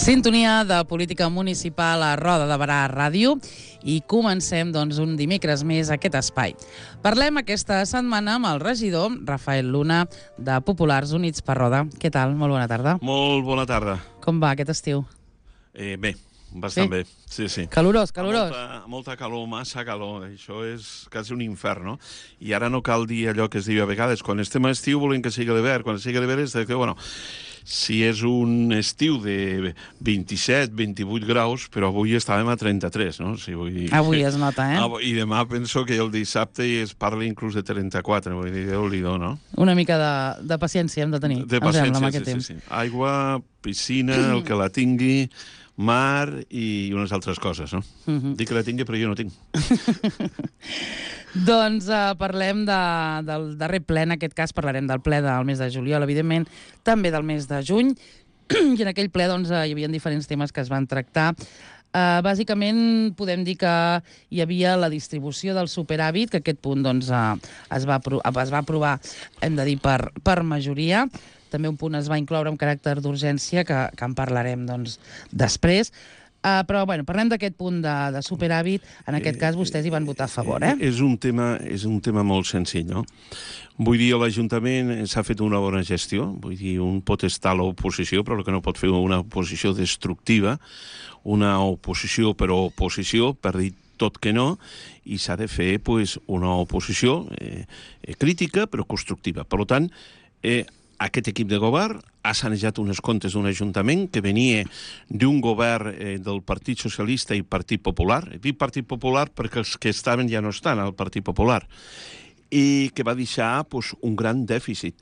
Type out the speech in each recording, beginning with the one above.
Sintonia de política municipal a Roda de Berà Ràdio i comencem un dimecres més aquest espai. Parlem aquesta setmana amb el regidor Rafael Luna de Populars Units per Roda. Què tal? Molt bona tarda. Molt bona tarda. Com va aquest estiu? Bé, bastant bé. Sí. Calorós, calorós. Molta calor, massa calor. Això és quasi un infern, no? I ara no cal dir allò que es diu a vegades. Quan estem a estiu volem que sigui l'hivern. Quan sigui l'hivern és que, bueno, si és un estiu de 27, 28 graus, però avui estàvem a 33, no? Si vull dir... Avui es nota, eh? I demà penso que el dissabte es parla inclús de 34, vull dir, Déu-n'hi-do, no? Una mica de paciència hem de tenir, de paciència, sí. Aigua, piscina, el que la tingui, mar i unes altres coses, no? Dic que la tingui, però jo no tinc. Doncs parlem del darrer ple, en aquest cas parlarem del ple del mes de juliol, evidentment, també del mes de juny, i en aquell ple hi havia diferents temes que es van tractar. Bàsicament podem dir que hi havia la distribució del superàvit, que aquest punt es va aprovar, hem de dir, per majoria. També un punt es va incloure amb caràcter d'urgència, que en parlarem després. Però, bueno, parlem d'aquest punt de superàvit. En aquest cas, vostès hi van votar a favor, eh? És un tema molt senzill, no? Vull dir, l'Ajuntament s'ha fet una bona gestió. Vull dir, un pot estar a l'oposició, però el que no pot fer una oposició destructiva, una oposició per oposició, per dir tot que no, i s'ha de fer una oposició crítica, però constructiva. Per tant, aquest equip de govern ha sanejat uns comptes d'un ajuntament que venia d'un govern del Partit Socialista i Partit Popular. Dic Partit Popular perquè els que estaven ja no estan al Partit Popular. I que va deixar un gran dèficit.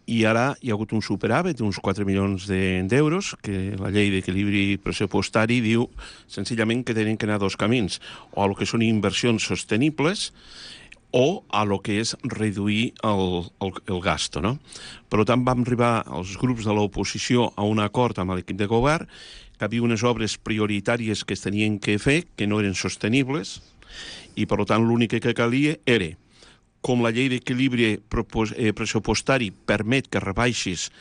I ara hi ha hagut un superàvit d'uns 4 milions d'euros, que la llei d'equilibri pressupostari diu senzillament que tenen que anar dos camins, o a lo que són inversions sostenibles, o a lo que és reduir el gasto, no? Per tant, vam arribar els grups de l'oposició a un acord amb l'equip de govern que hi havia unes obres prioritàries que es tenien que fer, que no eren sostenibles, i per tant l'únic que calia era, com la llei d'equilibri pressupostari permet que rebaixis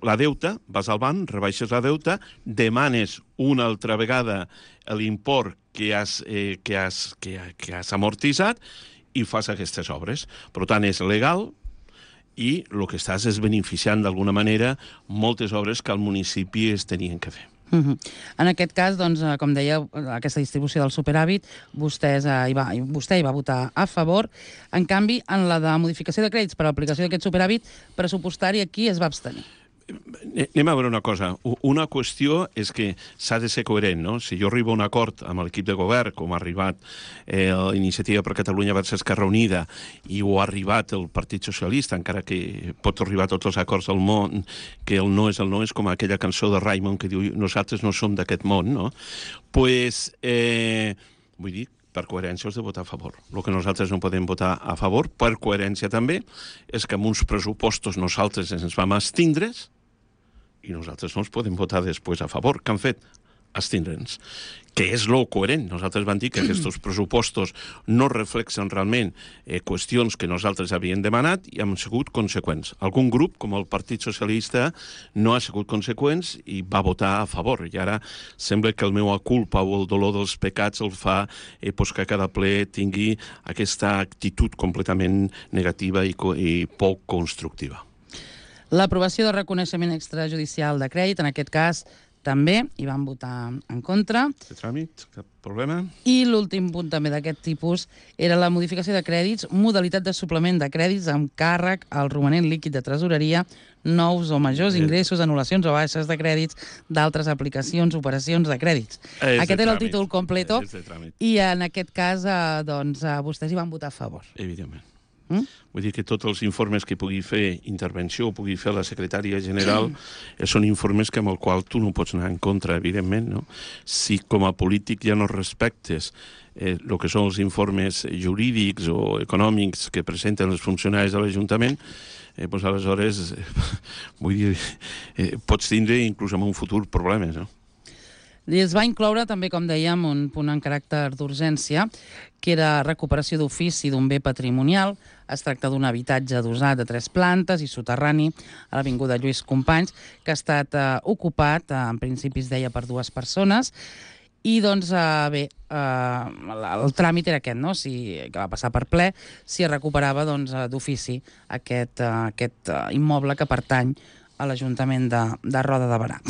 la deuta, vas al banc, rebaixes la deuta, demanes una altra vegada l'import que has amortitzat, i fas aquestes obres. Per tant, és legal i el que estàs és beneficiant d'alguna manera moltes obres que al municipi es tenien que fer. En aquest cas, com deia, aquesta distribució del superàvit, vostè hi va votar a favor. En canvi, en la de modificació de crèdits per a l'aplicació d'aquest superàvit pressupostari, aquí es va abstenir. Anem a veure una cosa. Una qüestió és que s'ha de ser coherent, no? Si jo arribo a un acord amb l'equip de govern, com ha arribat l'Iniciativa per Catalunya versus Esquerra Unida, i ho ha arribat el Partit Socialista, encara que pot arribar a tots els acords del món, que el no és com aquella cançó de Raymond que diu nosaltres no som d'aquest món, no? Vull dir, per coherència has de votar a favor. El que nosaltres no podem votar a favor, per coherència també, és que amb uns pressupostos nosaltres ens vam abstindre's i nosaltres no els podem votar després a favor. Què han fet? Abstindre'ns. Que és lo coherent. Nosaltres vam dir que aquests pressupostos no reflexen realment qüestions que nosaltres havíem demanat i hem sigut conseqüents. Algun grup, com el Partit Socialista, no ha sigut conseqüents i va votar a favor. I ara sembla que el meu culpa o el dolor dels pecats el fa que cada ple tingui aquesta actitud completament negativa i poc constructiva. L'aprovació del reconeixement extrajudicial de crèdit, en aquest cas, també hi van votar en contra. De tràmit, cap problema. I l'últim punt també d'aquest tipus era la modificació de crèdits, modalitat de suplement de crèdits amb càrrec al romanent líquid de tresoreria, nous o majors ingressos, anul·lacions o baixes de crèdits d'altres aplicacions, operacions de crèdits. Aquest era el títol completo i en aquest cas vostès hi van votar a favor. Evidentment. Vull dir que tots els informes que pugui fer intervenció o pugui fer la secretària general són informes amb els quals tu no pots anar en contra, evidentment, no? Si com a polític ja no respectes el que són els informes jurídics o econòmics que presenten els funcionaris de l'Ajuntament, doncs aleshores, vull dir, pots tindre inclús en un futur problemes, no? I es va incloure també, com dèiem, un punt en caràcter d'urgència, que era recuperació d'ofici d'un bé patrimonial. Es tracta d'un habitatge adossat de 3 plantes i soterrani a l'avinguda Lluís Companys, que ha estat ocupat, en principi es deia, per 2 persones. I, doncs, bé, el tràmit era aquest, no? Que va passar per ple, si es recuperava d'ofici aquest immoble que pertany a l'Ajuntament de Roda de Berà.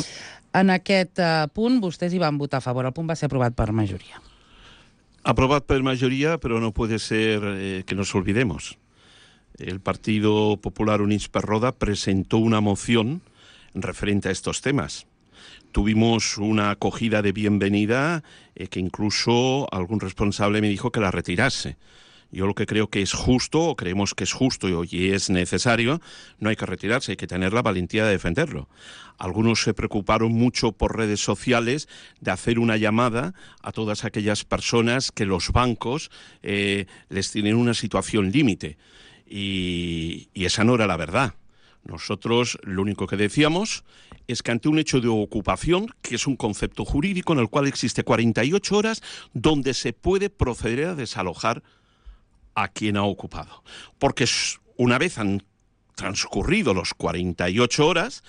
En aquest punt, vostès hi van votar a favor. El punt va ser aprovat per majoria. Aprobado por mayoría, pero no puede ser que nos olvidemos. El Partido Popular Units per Roda presentó una moción referente a estos temas. Tuvimos una acogida de bienvenida que incluso algún responsable me dijo que la retirase. Yo lo que creo que es justo, o creemos que es justo y es necesario, no hay que retirarse, hay que tener la valentía de defenderlo. Algunos se preocuparon mucho por redes sociales de hacer una llamada a todas aquellas personas que los bancos les tienen una situación límite. Y esa no era la verdad. Nosotros lo único que decíamos es que ante un hecho de ocupación, que es un concepto jurídico en el cual existe 48 horas donde se puede proceder a desalojar a quien ha ocupado. Porque una vez han transcurrido los 48 horas,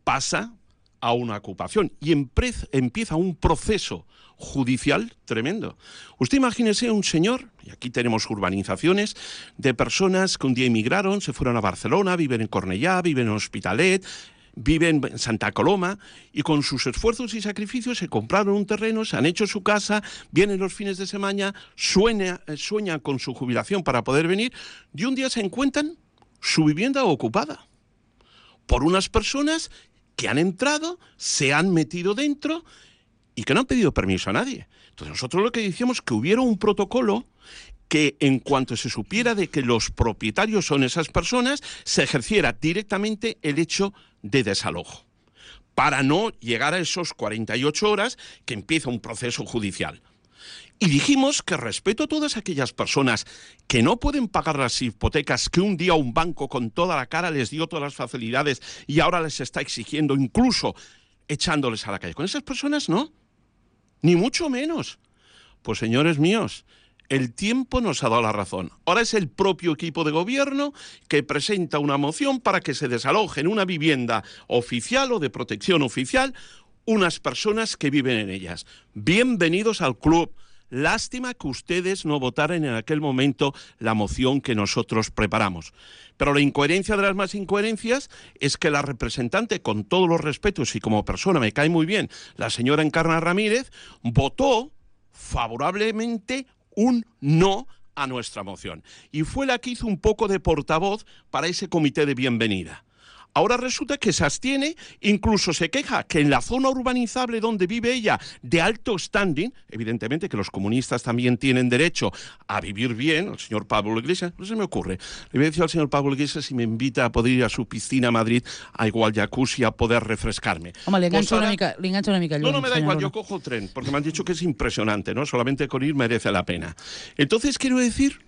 pasa a una ocupación y empieza un proceso judicial tremendo. Usted imagínese un señor, y aquí tenemos urbanizaciones, de personas que un día emigraron, se fueron a Barcelona, viven en Cornellá, viven en Hospitalet, viven en Santa Coloma, y con sus esfuerzos y sacrificios se compraron un terreno, se han hecho su casa, vienen los fines de semana, sueñan con su jubilación para poder venir, y un día se encuentran su vivienda ocupada por unas personas que han entrado, se han metido dentro y que no han pedido permiso a nadie. Entonces nosotros lo que decíamos es que hubiera un protocolo que en cuanto se supiera de que los propietarios son esas personas, se ejerciera directamente el hecho de desalojo, para no llegar a esos 48 horas que empieza un proceso judicial. Y dijimos que respeto a todas aquellas personas que no pueden pagar las hipotecas que un día un banco con toda la cara les dio todas las facilidades y ahora les está exigiendo, incluso echándoles a la calle. Con esas personas no, ni mucho menos. Pues señores míos, el tiempo nos ha dado la razón. Ahora es el propio equipo de gobierno que presenta una moción para que se desaloje en una vivienda oficial o de protección oficial unas personas que viven en ellas. Bienvenidos al club. Lástima que ustedes no votaran en aquel momento la moción que nosotros preparamos. Pero la incoherencia de las más incoherencias es que la representante, con todos los respetos y como persona me cae muy bien, la señora Encarna Ramírez, votó favorablemente un no a nuestra moción. Y fue la que hizo un poco de portavoz para ese comité de bienvenida. Ahora resulta que se abstiene, incluso se queja que en la zona urbanizable donde vive ella, de alto standing, evidentemente que los comunistas también tienen derecho a vivir bien, el señor Pablo Iglesias, no se me ocurre, le voy a decir al señor Pablo Iglesias si me invita a poder ir a su piscina a Madrid, a igual jacuzzi, a poder refrescarme. Home, li enganxa una mica lluny. No, me da igual, yo cojo el tren, porque me han dicho que es impresionante, ¿no? Solamente con ir merece la pena. Entonces quiero decir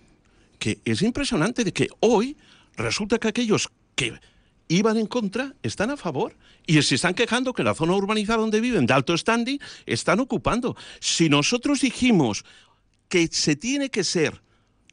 que es impresionante de que hoy resulta que aquellos que iban en contra, están a favor. Y se están quejando que la zona urbanizada donde viven, de alto standing, están ocupando. Si nosotros dijimos que se tiene que ser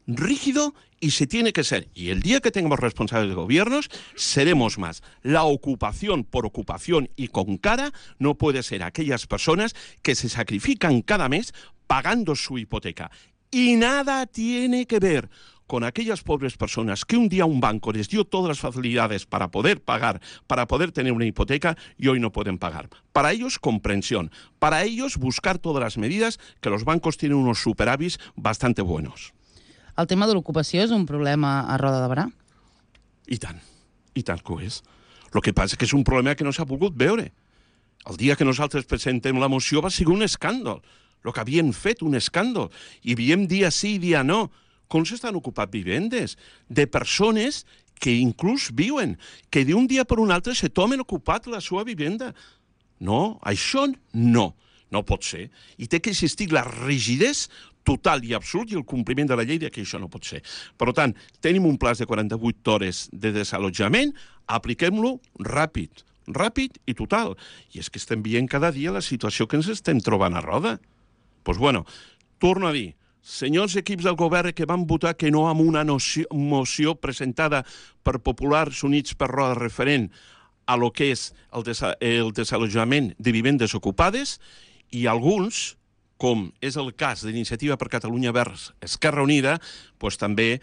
rígido y se tiene que ser, y el día que tengamos responsables de gobiernos, seremos más. La ocupación por ocupación y con cara no puede ser aquellas personas que se sacrifican cada mes pagando su hipoteca. Y nada tiene que ver con aquellas pobres personas que un día un banco les dio todas las facilidades para poder pagar, para poder tener una hipoteca y hoy no pueden pagar. Para ellos, comprensión. Para ellos, buscar todas las medidas, que los bancos tienen unos superávits bastante buenos. El tema de l'ocupació és un problema a Roda de Berà? I tant que ho és. El que passa és que és un problema que no s'ha pogut veure. El dia que nosaltres presentem la moció va ser un escàndol. El que havien fet, un escàndol. I veiem dia sí i dia no com s'estan ocupant vivendes de persones que inclús viuen, que d'un dia per un altre se tomen ocupat la seva vivenda. No, això no pot ser. I té que existir la rigidesa total i absolut i el compliment de la llei de que això no pot ser. Per tant, tenim un pla de 48 hores de desallotjament, apliquem-lo ràpid, ràpid i total. I és que estem veient cada dia la situació que ens estem trobant a roda. Doncs bueno, torno a dir, senyors equips del govern que van votar que no amb una moció presentada per Populars Units per Roda referent a lo que és el desallotjament de vivendes ocupades, i alguns, com és el cas d'Iniciativa per Catalunya Verds Esquerra Unida, doncs també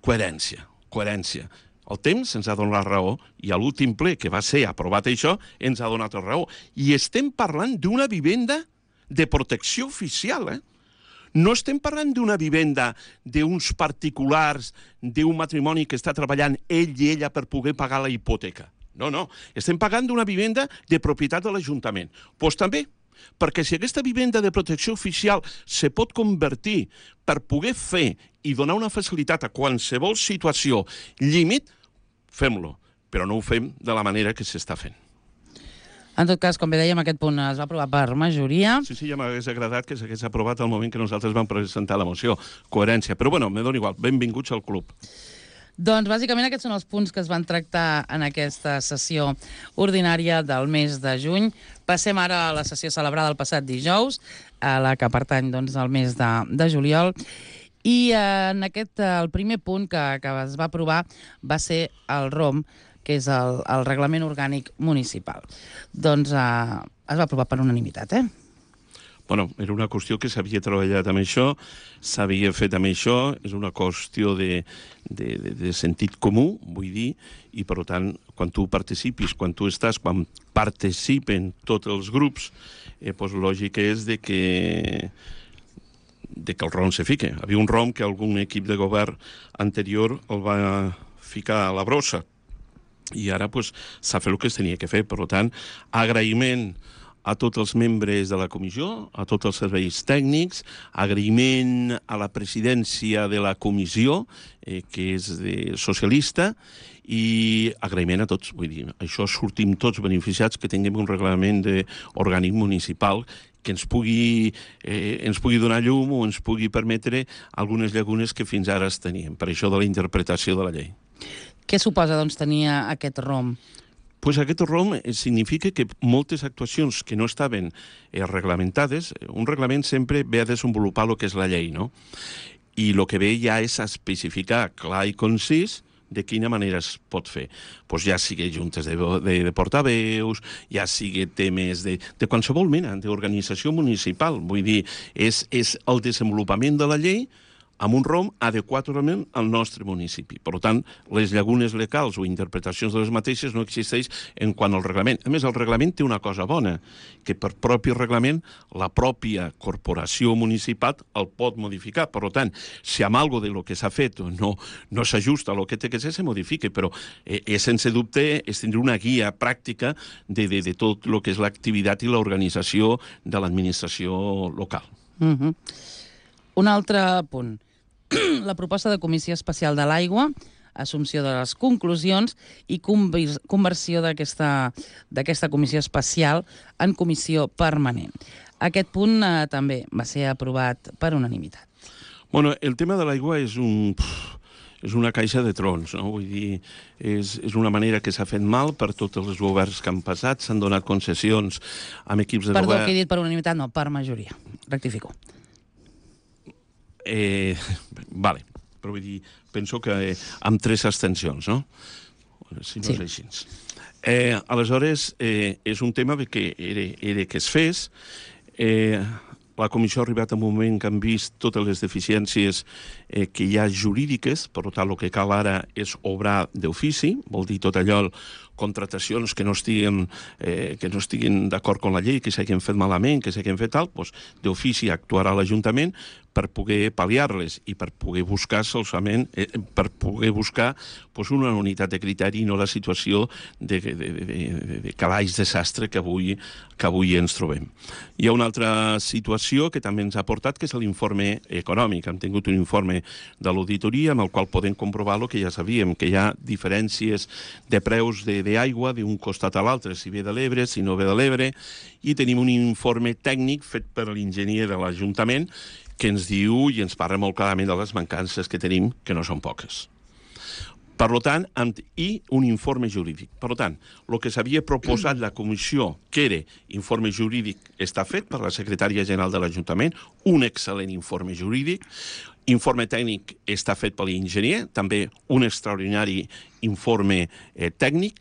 coherència. El temps ens ha donat la raó i a l'últim ple que va ser aprovat això ens ha donat la raó. I estem parlant d'una vivenda de protecció oficial, No estem parlant d'una vivenda d'uns particulars, d'un matrimoni que està treballant ell i ella per poder pagar la hipoteca. No. Estem pagant d'una vivenda de propietat de l'Ajuntament. Doncs també, perquè si aquesta vivenda de protecció oficial se pot convertir per poder fer i donar una facilitat a qualsevol situació límit, fem-lo, però no ho fem de la manera que s'està fent. En tot cas, com bé dèiem, aquest punt es va aprovar per majoria. Sí, ja m'hagués agradat que s'hagués aprovat al moment que nosaltres vam presentar la moció. Coherència. Però bueno, me dona igual. Benvinguts al club. Doncs bàsicament aquests són els punts que es van tractar en aquesta sessió ordinària del mes de juny. Passem ara a la sessió celebrada el passat dijous, a la que pertany doncs, al mes de juliol. I en el primer punt que es va aprovar va ser el ROM, que és el Reglament Orgànic Municipal. Doncs es va aprovar per unanimitat, Bueno, era una qüestió que s'havia treballat amb això, s'havia fet amb això, és una qüestió de sentit comú, vull dir, i per tant, quan tu participis, quan participen tots els grups, doncs lògic és de que el ROM se fique. Hi havia un ROM que algun equip de govern anterior el va ficar a la brossa, i ara s'ha fet el que es tenia que fer. Per tant, agraïment a tots els membres de la comissió, a tots els serveis tècnics, agraïment a la presidència de la comissió, que és socialista, i agraïment a tots. Vull dir, això sortim tots beneficiats que tinguem un reglament orgànic municipal que ens pugui donar llum o ens pugui permetre algunes llacunes que fins ara es tenien, per això de la interpretació de la llei. Què suposa, doncs, tenir aquest ROM? Pues aquest ROM significa que moltes actuacions que no estaven reglamentades, un reglament sempre ve a desenvolupar el que és la llei, no? I el que ve ja és a especificar clar i concís de quina manera es pot fer. Pues ja sigui juntes de portaveus, ja sigui temes de qualsevol mena d'organització municipal. Vull dir, és el desenvolupament de la llei amb un ROM adequadament al nostre municipi. Per tant, les llacunes legals o interpretacions de les mateixes no existeix en quant al reglament. A més, el reglament té una cosa bona, que per propi reglament la pròpia corporació municipal el pot modificar. Per tant, si amb alguna de lo que s'ha fet no s'ajusta a lo que té que ser, se modifica, però sense dubte és tindre una guia pràctica de tot el que és l'activitat i l'organització de l'administració local. Un altre punt. La proposta de Comissió Especial de l'Aigua, assumpció de les conclusions i conversió d'aquesta comissió especial en comissió permanent. Aquest punt també va ser aprovat per unanimitat. Bueno, el tema de l'aigua és una caixa de trons, no? Vull dir, és una manera que s'ha fet mal per tots els governs que han passat, s'han donat concessions amb equips de govern... Perdó, que he dit per unanimitat, no, per majoria. Rectifico. Vale, però vull dir, penso que amb 3 abstencions, no? Si no és així. Aleshores, és un tema que era que es fes. La comissió ha arribat a un moment que han vist totes les deficiències que hi ha jurídiques, per tant, el que cal ara és obrar d'ofici, vol dir tot allò, contratacions que no estiguin d'acord amb la llei, que s'hagin fet malament, que s'hagin fet tal, doncs d'ofici actuarà l'Ajuntament per poder pal·liar-les i per poder buscar solament, per poder buscar una unitat de criteri i no la situació de calaix desastre que avui ens trobem. Hi ha una altra situació que també ens ha portat, que és l'informe econòmic. Hem tingut un informe de l'auditoria amb el qual podem comprovar el que ja sabíem, que hi ha diferències de preus d'aigua d'un costat a l'altre, si ve de l'Ebre, si no ve de l'Ebre, i tenim un informe tècnic fet per l'enginyer de l'Ajuntament que ens diu i ens parla molt clarament de les mancances que tenim, que no són poques. Per tant, i un informe jurídic. Per tant, el que s'havia proposat la comissió, que era informe jurídic, està fet per la secretària general de l'Ajuntament, un excel·lent informe jurídic, informe tècnic està fet per l'enginyer, també un extraordinari informe tècnic,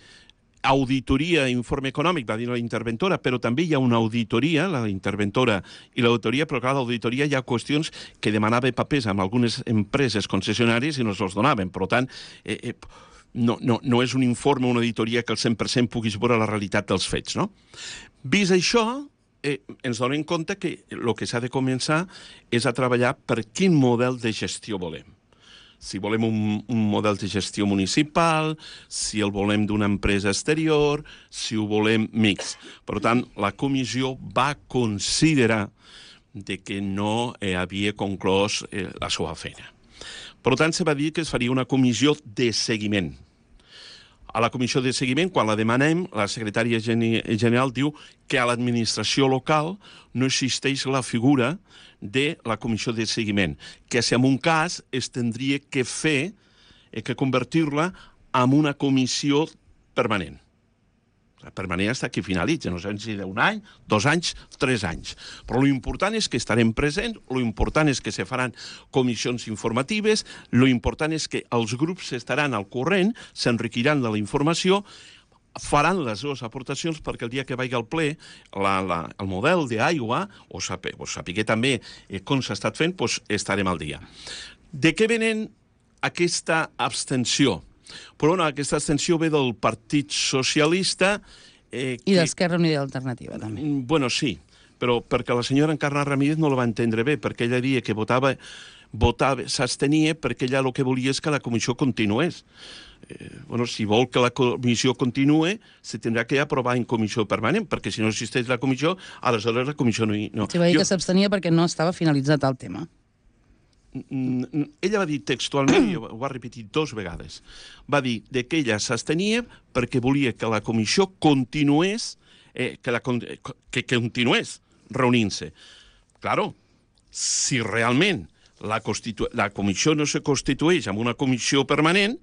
auditoria, informe econòmic, va dir la interventora, però també hi ha una auditoria, la interventora i l'auditoria, però clar, l'auditoria hi ha qüestions que demanava papers amb algunes empreses concessionàries i no se'ls donaven. Per tant, no és un informe, una auditoria que al 100% puguis veure la realitat dels fets, no? Vist això, ens donem compte que el que s'ha de començar és a treballar per quin model de gestió volem. Si volem un model de gestió municipal, si el volem d'una empresa exterior, si ho volem mix. Per tant, la comissió va considerar que no havia conclòs la seva feina. Per tant, se va dir que es faria una comissió de seguiment. A la comissió de seguiment, quan la demanem, la secretària general diu que a l'administració local no existeix la figura de la comissió de seguiment, que si en un cas es tindria que fer, que convertir-la en una comissió permanent. La permanent està que finalitza, no sé si d'un any, 2 anys, 3 anys. Però l'important és que estarem presents, l'important és que se faran comissions informatives, l'important és que els grups estaran al corrent, s'enriquiran de la informació, faran les seves aportacions perquè el dia que vagi al ple el model d'aigua, o sapiguer també com s'ha estat fent, doncs estarem al dia. De què venen aquesta abstenció? Però aquesta abstenció ve del Partit Socialista... I d'Esquerra Unida i Alternativa, també. Bueno, sí, però perquè la senyora Encarna Ramírez no la va entendre bé, perquè ella deia que s'abstenia perquè ella el que volia és que la comissió continués. Bueno, si vol que la comissió continue, se tindrà que aprovar en comissió permanent, perquè si no existeix la comissió, aleshores la comissió no... Sí, va dir que s'abstenia perquè no estava finalitzat el tema. Ella va dir textualment, i ho va repetir 2 vegades, va dir que ella s'abstenia perquè volia que la comissió continués, que continués reunint-se. Claro, si realment la comissió no se constitueix amb una comissió permanent,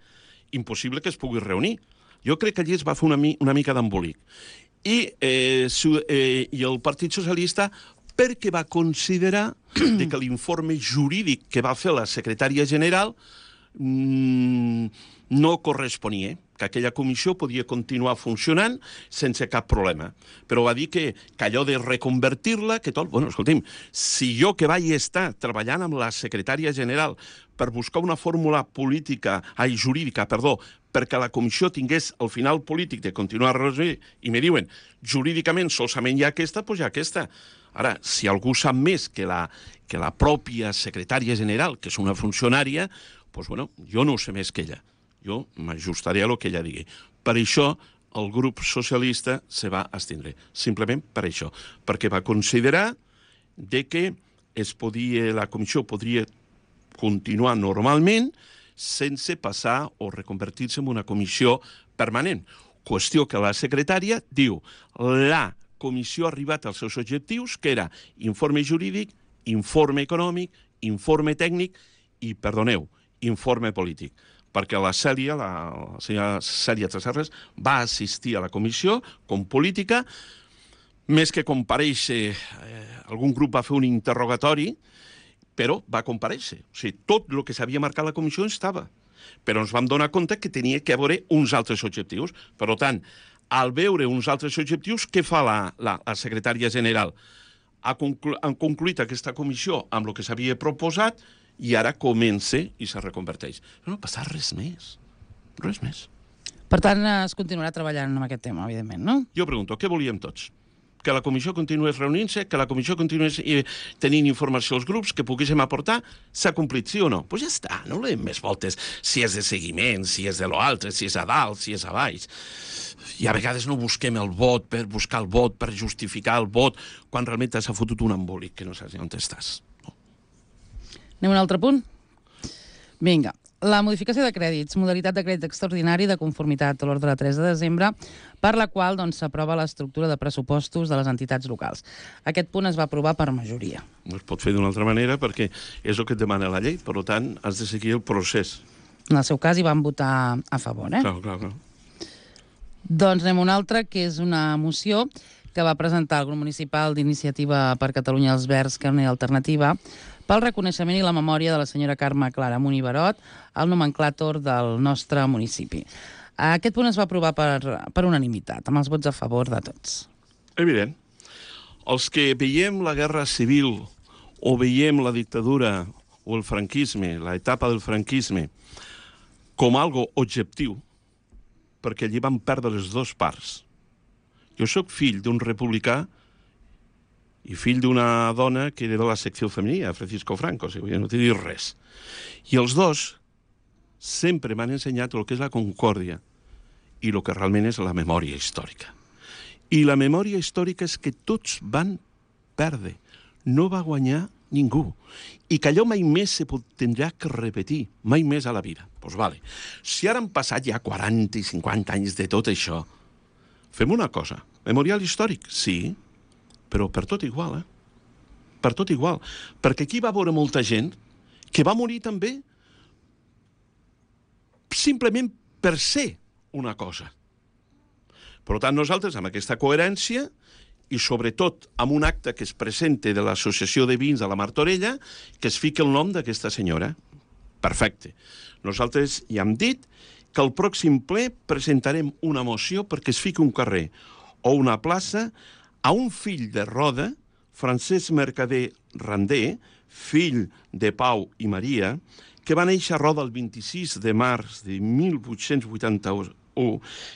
impossible que es pugui reunir. Jo crec que allí es va fer una mica d'embolic. I el Partit Socialista, perquè va considerar que l'informe jurídic que va fer la secretària general no corresponia, que aquella comissió podia continuar funcionant sense cap problema. Però va dir que allò de reconvertir-la, que tot... Bueno, escolti'm, si jo que vaig estar treballant amb la secretària general per buscar una fórmula jurídica, perquè la comissió tingués el final polític de continuar i me diuen, jurídicament solament hi ha aquesta, doncs hi ha aquesta. Ara, si algú sap més que la pròpia secretària general, que és una funcionària, doncs, bueno, jo no ho sé més que ella. Jo m'ajustaré a el que ella digui. Per això, el grup socialista se va abstindre. Simplement per això. Perquè va considerar que la comissió podria continuar normalment sense passar o reconvertir-se en una comissió permanent. Qüestió que la secretària diu la comissió ha arribat als seus objectius, que era informe jurídic, informe econòmic, informe tècnic i, perdoneu, informe polític. Perquè la senyora Cèlia Tresserras va assistir a la comissió com política, més que comparèixer, algun grup va fer un interrogatori, però va comparèixer. O sigui, tot el que s'havia marcat la comissió estava. Però ens vam donar compte que tenia que haver uns altres objectius. Per tant, al veure uns altres objectius, què fa la secretària general? Han concluït aquesta comissió amb el que s'havia proposat i ara comença i se reconverteix. No passa res més. Res més. Per tant, es continuarà treballant amb aquest tema, evidentment, no? Jo pregunto, què volíem tots? Que la comissió continués reunint-se, que la comissió continués tenint informació als grups, que poguéssim aportar, s'ha complit, sí o no? Doncs ja està, no donem més voltes si és de seguiment, si és de l'altre, si és a dalt, si és a baix. I a vegades no busquem el vot per buscar el vot, per justificar el vot, quan realment s'ha fotut un embolic que no saps on estàs. No. Anem a un altre punt? Vinga. La modificació de crèdits, modalitat de crèdit extraordinari de conformitat a l'ordre de 3 de desembre, per la qual s'aprova l'estructura de pressupostos de les entitats locals. Aquest punt es va aprovar per majoria. No es pot fer d'una altra manera perquè és el que et demana la llei, per tant, has de seguir el procés. en el seu cas hi van votar a favor. Clar. Doncs anem a una altra, que és una moció que va presentar el grup municipal d'Iniciativa per Catalunya els Verds, Carne Alternativa, pel reconeixement i la memòria de la senyora Carme Clara Munibarot, el nomenclàtor del nostre municipi. Aquest punt es va aprovar per unanimitat, amb els vots a favor de tots. Evident. Els que veiem la guerra civil o veiem la dictadura o el franquisme, l'etapa del franquisme, com algo objectiu, perquè allí van perdre les dues parts. Jo sóc fill d'un republicà i fill d'una dona que era de la secció femenina, Francisco Franco, si no t'he dit res. I els dos sempre m'han ensenyat el que és la concòrdia i el que realment és la memòria històrica. I la memòria històrica és que tots van perdre. No va guanyar ningú. I que allò mai més se tindrà que repetir, mai més a la vida. Doncs vale. Si ara han passat ja 40 i 50 anys de tot això, fem una cosa. Memorial històric, sí, però per tot igual, Per tot igual. Perquè aquí va veure molta gent que va morir també simplement per ser una cosa. Per tant, nosaltres, amb aquesta coherència, i sobretot amb un acte que es presenta de l'Associació de Vins de la Martorella, que es fica el nom d'aquesta senyora. Perfecte. Nosaltres ja hem dit que al pròxim ple presentarem una moció perquè es fiqui un carrer o una plaça a un fill de Roda, Francesc Mercader Randé, fill de Pau i Maria, que va néixer a Roda el 26 de març de 1881,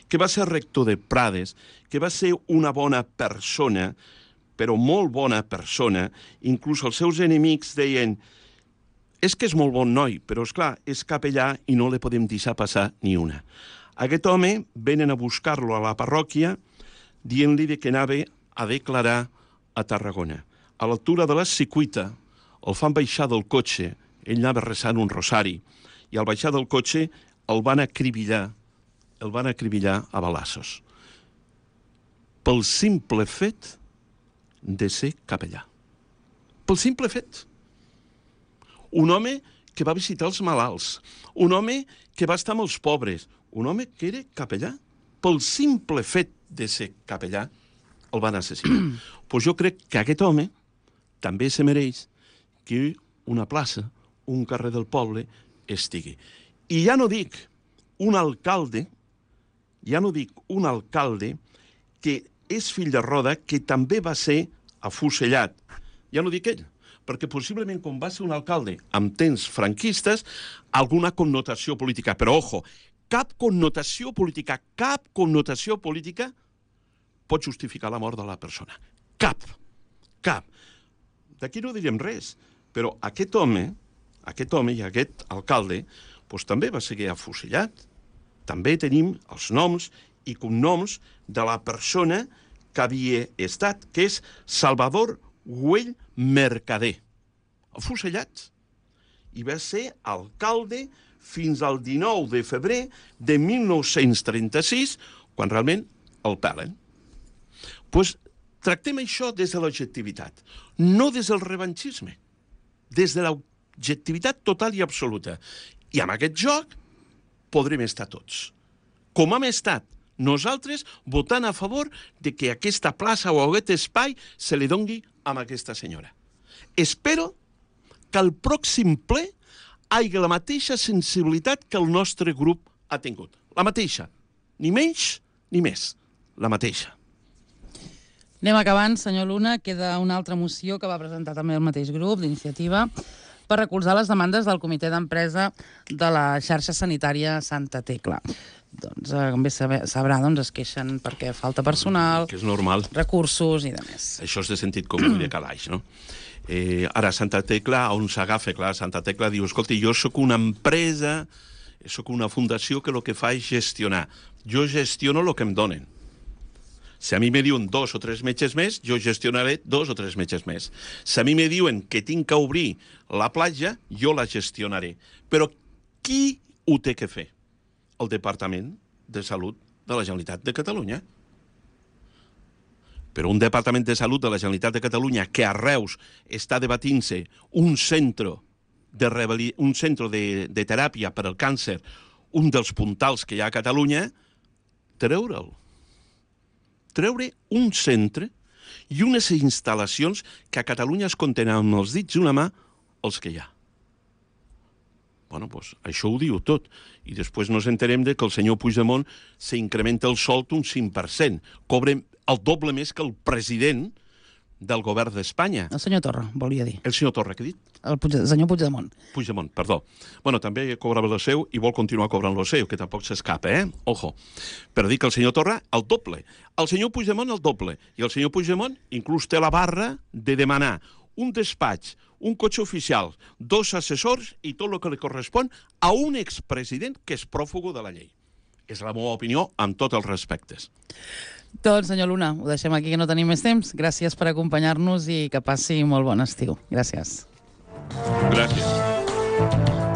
que va ser rector de Prades, que va ser una bona persona, però molt bona persona. Inclús els seus enemics deien: és que és molt bon noi, però, esclar, és capellà i no li podem deixar passar ni una. Aquest home venen a buscar-lo a la parròquia dient-li que anava a declarar a Tarragona. A l'altura de la Secuita el fan baixar del cotxe, ell anava resant un rosari, i al baixar del cotxe el van acribillar a balassos. Pel simple fet de ser capellà. Pel simple fet. Un home que va visitar els malalts, un home que va estar amb els pobres, un home que era capellà. Pel simple fet de ser capellà el van assassinar. Pues jo crec que aquest home també se mereix que una plaça, un carrer del poble, estigui. I ja no dic un alcalde que és fill de Roda, que també va ser afusellat. Ja no dic ell, perquè possiblement com va ser un alcalde amb temps franquistes, alguna connotació política. Però, ojo, cap connotació política pot justificar la mort de la persona. Cap. D'aquí no direm res, però aquest home i aquest alcalde també va ser afusellat. També tenim els noms i cognoms de la persona que havia estat, que és Salvador Güell Mercader. Afusellat. I va ser alcalde fins al 19 de febrer de 1936, quan realment el pelen. Doncs tractem això des de l'objectivitat, no des del revanchisme, des de l'objectivitat total i absoluta. I amb aquest joc podrem estar tots. Com hem estat nosaltres votant a favor de que aquesta plaça o aquest espai se li doni a aquesta senyora. Espero que al pròxim ple hi hagi la mateixa sensibilitat que el nostre grup ha tingut. La mateixa. Ni menys ni més. La mateixa. Anem acabant, senyor Luna. Queda una altra moció que va presentar també el mateix grup d'Iniciativa per recolzar les demandes del comitè d'empresa de la xarxa sanitària Santa Tecla. Doncs, com bé sabrà, es queixen perquè falta personal, que és normal, recursos i demés. Això és de sentit comú i de calaix, no? Ara, Santa Tecla, on s'agafa? Clar, Santa Tecla diu: escolta, jo sóc una empresa, sóc una fundació que el que fa és gestionar. Jo gestiono el que em donen. Si a mi me diuen 2 o 3 metges més, jo gestionaré 2 o 3 metges més. Si a mi me diuen que tinc que obrir la platja, jo la gestionaré. Però qui ho té que fer? El Departament de Salut de la Generalitat de Catalunya. Però un Departament de Salut de la Generalitat de Catalunya que a Reus està debatint-se un centre un centre de teràpia per al càncer, un dels puntals que hi ha a Catalunya, treure'l. Treure un centre i unes instal·lacions que a Catalunya es compten amb els dits d'una mà els que hi ha. Bueno, doncs això ho diu tot. I després nos enterem de que el senyor Puigdemont s'incrementa el sou un 5%. Cobra el doble més que el president del govern d'Espanya. El senyor Torra, volia dir. El senyor Torra, què ha dit? El senyor Puigdemont. Puigdemont, perdó. Bueno, també cobrava el seu i vol continuar cobrant el seu, que tampoc s'escapa, Ojo. Per dir que el senyor Torra, el doble. El senyor Puigdemont, el doble. I el senyor Puigdemont inclús té la barra de demanar un despatx, un cotxe oficial, 2 assessors i tot el que li correspon a un expresident que és pròfugo de la llei. És la meva opinió amb tots els respectes. Doncs, senyor Luna, ho deixem aquí, que no tenim més temps. Gràcies per acompanyar-nos i que passi molt bon estiu. Gràcies. Gràcies.